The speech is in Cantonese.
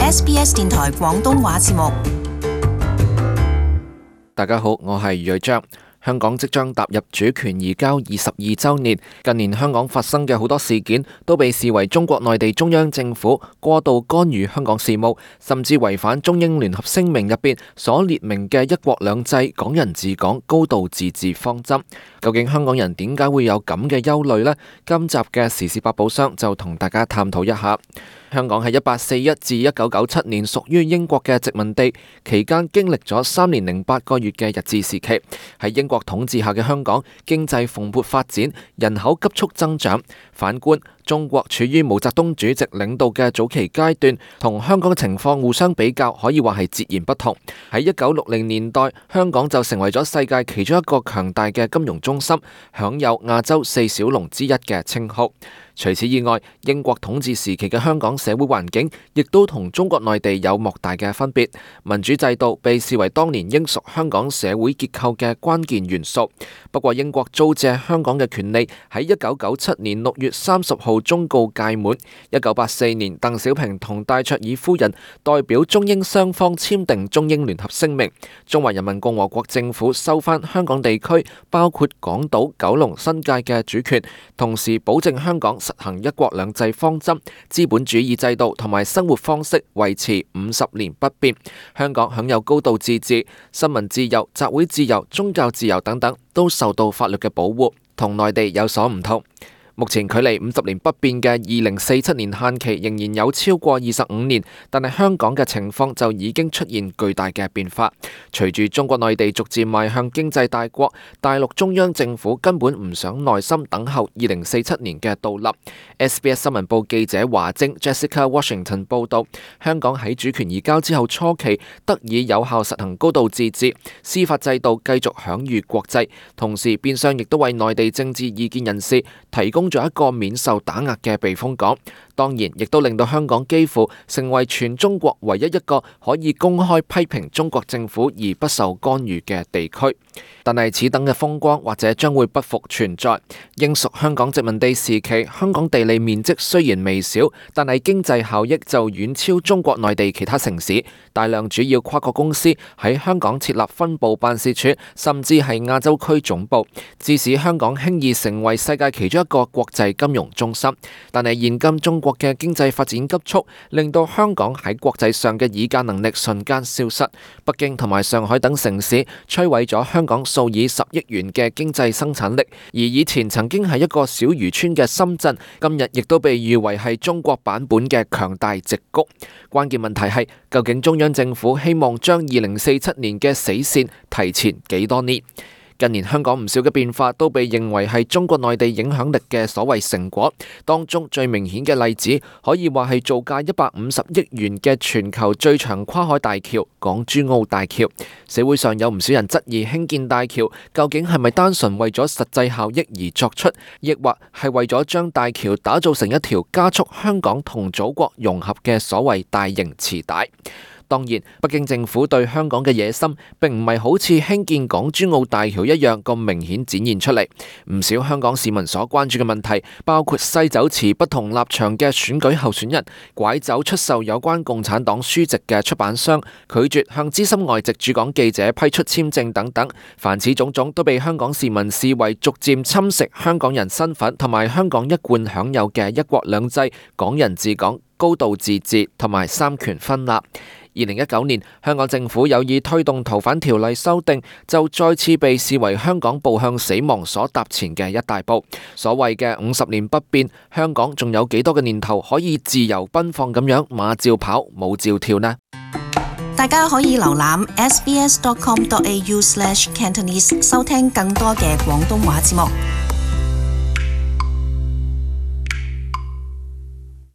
SBS 電台廣東話節目。大家好，我係余章。香港即將踏入主權移交22週年，近年香港發生嘅好多事件都被視為中國內地中央政府過度干預香港事務，甚至違反中英聯合聲明入邊所列明嘅一國兩制、港人治港、高度自治方針。究竟香港人點解會有咁嘅憂慮呢？今集嘅時事百寶箱就同大家探討一下。香港喺1841至1997年屬於英國嘅殖民地，期間經歷咗3年零8個月嘅日治時期。喺英國統治下嘅香港，經濟蓬勃發展，人口急速增長。反觀中國處於毛澤東主席領導嘅早期階段，同香港嘅情況互相比較，可以話係截然不同。喺1960年代，香港就成為咗世界其中一個強大嘅金融中心，享有亞洲4小龍之一嘅稱號。除此以外，英國統治時期嘅香港社會環境亦都同中國內地有莫大嘅分別。民主制度被視為當年英屬香港社會結構嘅關鍵元素。不過，英國租借香港嘅權利喺1997年6月30號終告屆滿。1984年，鄧小平同戴卓爾夫人代表中英雙方簽訂中英聯合聲明，中華人民共和國政府收返香港地區，包括港島、九龍、新界嘅主權，同時保證香港實行一國兩制方針，資本主義制度同埋生活方式維持50年不變。香港享有高度自治，新聞自由、集會自由、宗教自由等等都受到法律嘅保護，同內地有所唔同。目前距離50年不變嘅2047年限期仍然有超過25年，但係香港嘅情況就已經出現巨大嘅變化。隨住中國內地逐漸邁向經濟大國，大陸中央政府根本唔想耐心等候2047年嘅到臨。SBS 新聞部記者華晶 Jessica Washington 報道，香港喺主權移交之後初期得以有效實行高度自治，司法制度繼續享譽國際，同時變相亦都為內地政治異見人士提供咗一個免受打壓嘅避風港，當然亦都令到香港幾乎成為全中國唯一一個可以公開批評中國政府而不受干預嘅地區。但係此等嘅風光或者將會不復存在。英屬香港殖民地時期，香港地理面積雖然微小，但係經濟效益就遠超中國內地其他城市。大量主要跨國公司喺香港設立分部辦事處，甚至係亞洲區總部，致使香港輕易成為世界其中一個國際金融中心。但係現今中國嘅經濟發展急速，令到香港喺國際上嘅議價能力瞬間消失。北京同埋上海等城市摧毀咗香港數以10億元嘅經濟生產力，而以前曾經係一個小漁村嘅深圳，今日亦都被譽為係中國版本嘅強大矽谷。關鍵問題係，究竟中央政府希望將2047年嘅死線提前幾多年？近年香港唔少嘅變化都被認為係中國內地影響力嘅所謂成果，當中最明顯嘅例子可以話係造價150億元嘅全球最長跨海大橋港珠澳大橋。社會上有唔少人質疑興建大橋究竟係咪單純為咗實際效益而作出，抑或係為咗將大橋打造成一條加速香港同祖國融合嘅所謂大型臍帶。當然，北京政府對香港嘅野心並唔係好似興建港珠澳大橋一樣咁明顯展現出嚟。唔少香港市民所關注嘅問題，包括西走持不同立場嘅選舉候選人，拐走出售有關共產黨書籍嘅出版商，拒絕向資深外籍駐港記者批出簽證等等。凡此種種都被香港市民視為逐漸侵蝕香港人身份同埋香港一貫享有嘅一國兩制、港人治港、高度自治同埋三權分立。2019年，香港政府有意推動逃犯條例修訂，就再次被視為香港步向死亡所踏前嘅一大步。所謂嘅50年不變，香港仲有幾多個年頭可以自由奔放咁樣馬照跑，舞照跳呢？大家可以瀏覽 sbs.com.au/cantonese 收聽更多嘅廣東話節目。